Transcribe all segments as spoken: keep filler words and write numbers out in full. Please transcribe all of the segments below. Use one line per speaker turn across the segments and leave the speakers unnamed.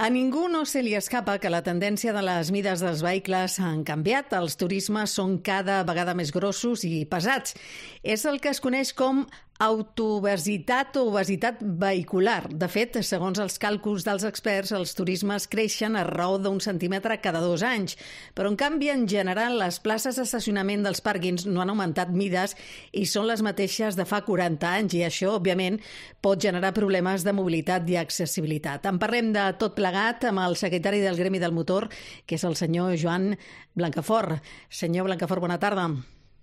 A ningú no se li escapa que la tendència de les mides dels vehicles han canviat. Els turismes són cada vegada més grossos i pesats. És el que es coneix com autoobesitat o obesitat vehicular. De fet, segons els càlculs dels experts, els turismes creixen a raó d'un centímetre cada dos anys. Però, en canvi, en general, les places d'estacionament dels pàrquings no han augmentat mides i són les mateixes de fa quaranta anys, i això, òbviament, pot generar problemes de mobilitat i accessibilitat. En parlem de tot plegat amb el secretari del Gremi del Motor, que és el senyor Joan Blancafort. Senyor Blancafort, bona tarda.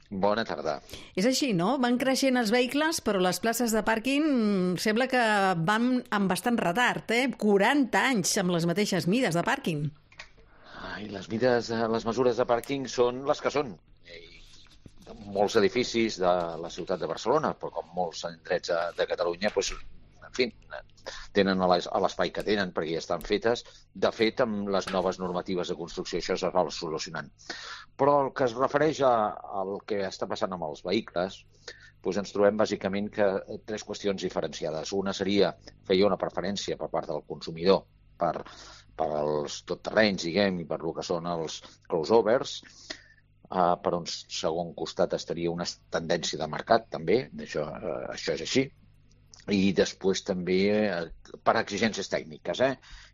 Bona tarda.
És així, no? Van creixent els vehicles, però les places de pàrquing sembla que van amb bastant retard, eh? quaranta anys amb les mateixes mides de pàrquing.
Ai, les mides, les mesures de pàrquing són les que són. Molts edificis de la ciutat de Barcelona, però com molts indrets de Catalunya, doncs, en fi, tenen l'espai que tenen perquè ja estan fetes. De fet, amb les noves normatives de construcció això es va solucionant. Però el que es refereix al que està passant amb els vehicles, doncs ens trobem bàsicament que tres qüestions diferenciades. Una seria, feia una preferència per part del consumidor per, per als totterrenys, diguem, i per el que són els crossovers. Uh, per un segon costat estaria una tendència de mercat, també, això, uh, això és així. I després també eh, per exigències tècniques, eh?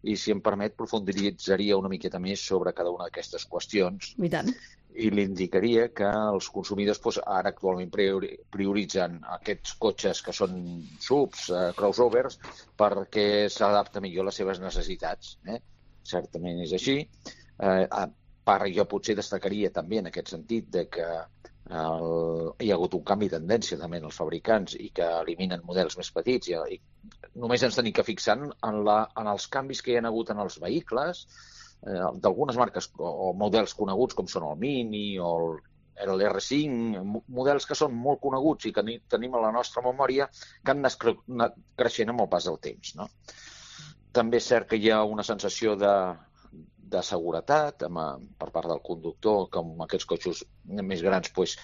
I si em permet profunditzaria una miqueta més sobre cada una d'aquestes qüestions.
I tant.
I li indicaria que els consumidors doncs, ara actualment prioritzen aquests cotxes que són subs, eh, crossovers, perquè s'adapta millor a les seves necessitats. Eh? Certament és així. Eh, a part, jo potser destacaria també en aquest sentit de que El, hi ha hagut un canvi de tendència també en els fabricants i que eliminen models més petits i, i només ens tenim que fixar en, la, en els canvis que hi ha hagut en els vehicles eh, d'algunes marques o, o models coneguts com són el Mini o el l'R cinc, models que són molt coneguts i que ni, tenim a la nostra memòria que han anat creixent amb el pas del temps, no? També és cert que hi ha una sensació de de seguretat amb, per part del conductor, com aquests cotxes més grans pues,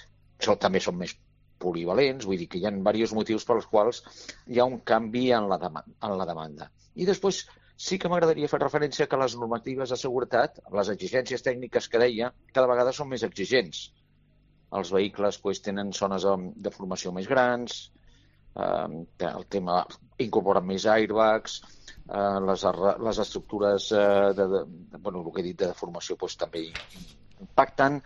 són, també són més polivalents, vull dir que hi ha diversos motius per als quals hi ha un canvi en la, demanda, en la demanda. I després sí que m'agradaria fer referència que les normatives de seguretat, les exigències tècniques que deia, cada vegada són més exigents. Els vehicles pues, tenen zones de, de formació més grans, eh, el tema incorporen més airbags, Uh, les, les estructures uh, de, de, bueno, el que he dit de formació pues, també impacten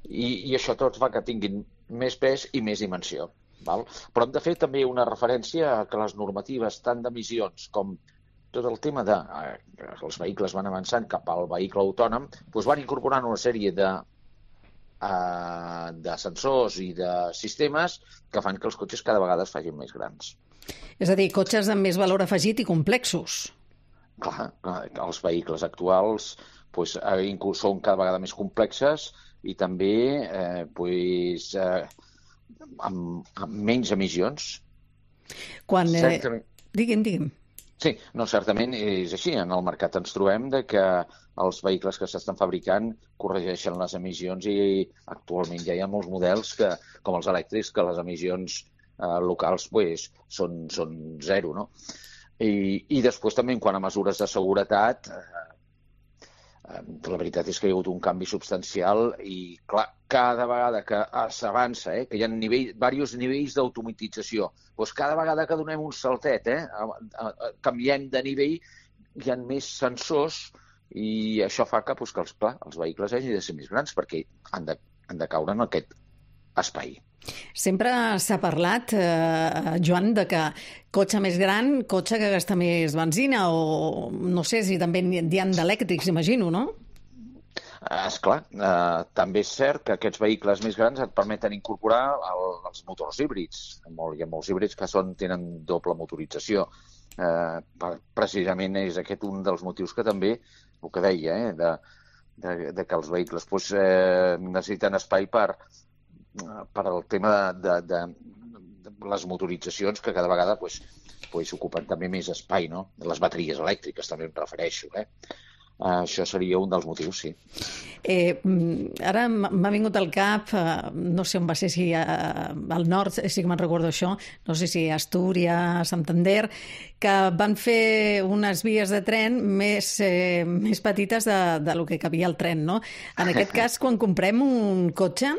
i, i això tot fa que tinguin més pes i més dimensió. Val? Però hem de fer també una referència a que les normatives tant d'emissions com tot el tema de uh, els vehicles van avançant cap al vehicle autònom pues, van incorporant una sèrie de uh, de sensors i de sistemes que fan que els cotxes cada vegada es facin més grans.
És a dir, cotxes amb més valor afegit i complexos.
Clar, els vehicles actuals pues, són cada vegada més complexes i també eh, pues, eh, amb, amb menys emissions.
Quan, eh... Certament... Digui'm, digui'm.
Sí, no, certament és així. En el mercat ens trobem de que els vehicles que s'estan fabricant corregeixen les emissions i actualment ja hi ha molts models que, com els elèctrics, que les emissions Uh, locals pues, són, són zero, no? I, i després també en quant a mesures de seguretat uh, uh, la veritat és que hi ha hagut un canvi substancial i clar, cada vegada que s'avança, eh, que hi ha nivell, diversos nivells d'automatització, doncs cada vegada que donem un saltet, eh, a, a, a, canviem de nivell, hi ha més sensors i això fa que, doncs, que els, clar, els vehicles hagin de ser més grans perquè han de, han de caure en aquest espai.
Sempre s'ha parlat, eh, Joan, de que cotxe més gran, cotxe que gasta més benzina o no sé si també n'hi ha d'elèctrics, imagino, no?
Esclar, eh, també és cert que aquests vehicles més grans et permeten incorporar el, els motors híbrids. Hi ha molts híbrids que són, tenen doble motorització. Eh, precisament és aquest un dels motius que també, el que deia, eh, de, de, de que els vehicles pues, eh, necessiten espai per per al tema de, de, de les motoritzacions que cada vegada pues, pues, ocupen també més espai, no? Les bateries elèctriques també em refereixo. Eh? això seria un dels motius, sí.
Eh, ara m'ha vingut al cap, eh, no sé on va ser, si eh, al nord, sí que me'n recordo això, no sé si Astúries, Santander, que van fer unes vies de tren més, eh, més petites de, de lo que cabia al tren, no? En aquest cas, quan comprem un cotxe,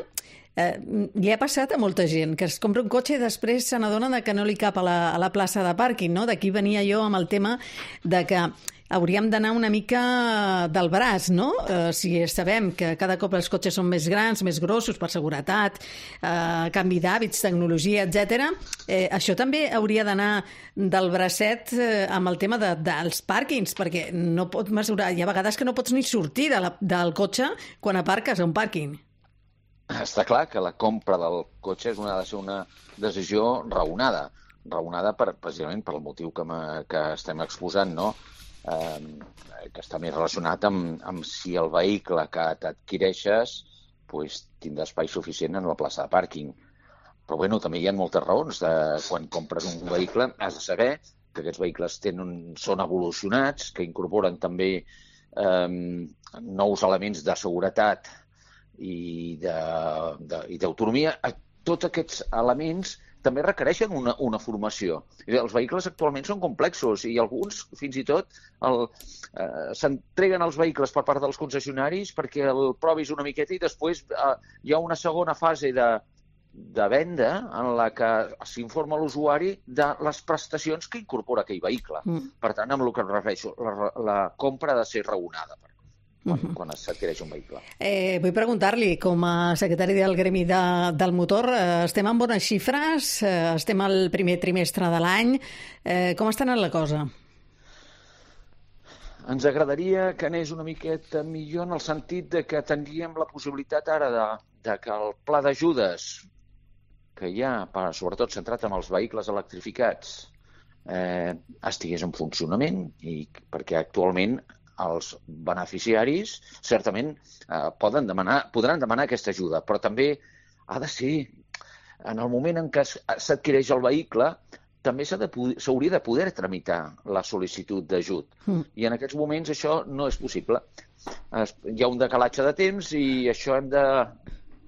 Eh, li ha passat a molta gent que es compra un cotxe i després se n'adonen que no li cap a la, a la plaça de pàrquing, no? D'aquí venia jo amb el tema de que hauríem d'anar una mica del braç, no? Eh, si sabem que cada cop els cotxes són més grans, més grossos, per seguretat, eh, canvi d'hàbits, tecnologia, etcètera, eh, això també hauria d'anar del bracet eh, amb el tema de, dels pàrquings, perquè no pot mesurar, hi ha vegades que no pots ni sortir de la, del cotxe quan aparques a un pàrquing.
Està clar que la compra del cotxe és una, ha de ser una decisió raonada, raonada per, precisament per el motiu que, que estem exposant, no? Eh, que està més relacionat amb, amb si el vehicle que t'adquireixes pues, tindrà espai suficient en la plaça de pàrquing. Però bueno, també hi ha moltes raons. De, quan compres un vehicle has de saber que aquests vehicles tenen, són evolucionats, que incorporen també eh, nous elements de seguretat i d'autonomia. Tots aquests elements també requereixen una, una formació. Els vehicles actualment són complexos i alguns, fins i tot, el, eh, s'entreguen els vehicles per part dels concessionaris perquè el provis una miqueta i després eh, hi ha una segona fase de, de venda en la que s'informa l'usuari de les prestacions que incorpora aquell vehicle. Mm. Per tant, amb el que em refereixo, la, la compra ha de ser raonada. Quan, uh-huh. quan s'adquireix un vehicle.
Eh, vull preguntar-li, com a secretari del Gremi de, del Motor, eh, estem en bones xifres? Eh, estem al primer trimestre de l'any. Eh, com està anant la cosa?
Ens agradaria que anés una miqueta millor en el sentit de que tindríem la possibilitat ara de, de que el pla d'ajudes que hi ha, per, sobretot centrat en els vehicles electrificats, eh, estigués en funcionament, i perquè actualment els beneficiaris certament eh, poden demanar, podran demanar aquesta ajuda, però també ha de ser, en el moment en què s'adquireix el vehicle, també s'hauria de, de poder tramitar la sol·licitud d'ajut. Mm. I en aquests moments això no és possible. Es, hi ha un decalatge de temps i això hem de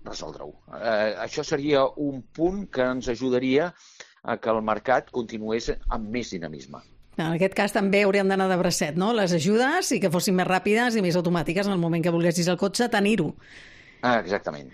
resoldre-ho. Eh, això seria un punt que ens ajudaria a que el mercat continués amb més dinamisme.
En aquest cas també hauríem d'anar de bracet, no? Les ajudes i que fossin més ràpides i més automàtiques en el moment que volguessis el cotxe, tenir-ho.
Ah, exactament.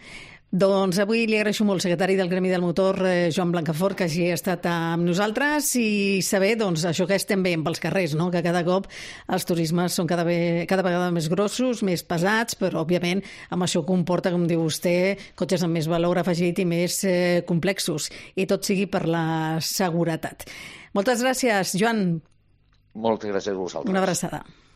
Doncs avui li agraeixo molt, secretari del Gremi del Motor, eh, Joan Blancafort, que hagi estat amb nosaltres i saber, doncs, això que estem veient pels carrers, no? Que cada cop els turismes són cada, ve, cada vegada més grossos, més pesats, però, òbviament, amb això comporta, com diu vostè, cotxes amb més valor afegit i més eh, complexos, i tot sigui per la seguretat. Moltes gràcies, Joan.
Moltes gràcies a vosaltres.
Una abraçada.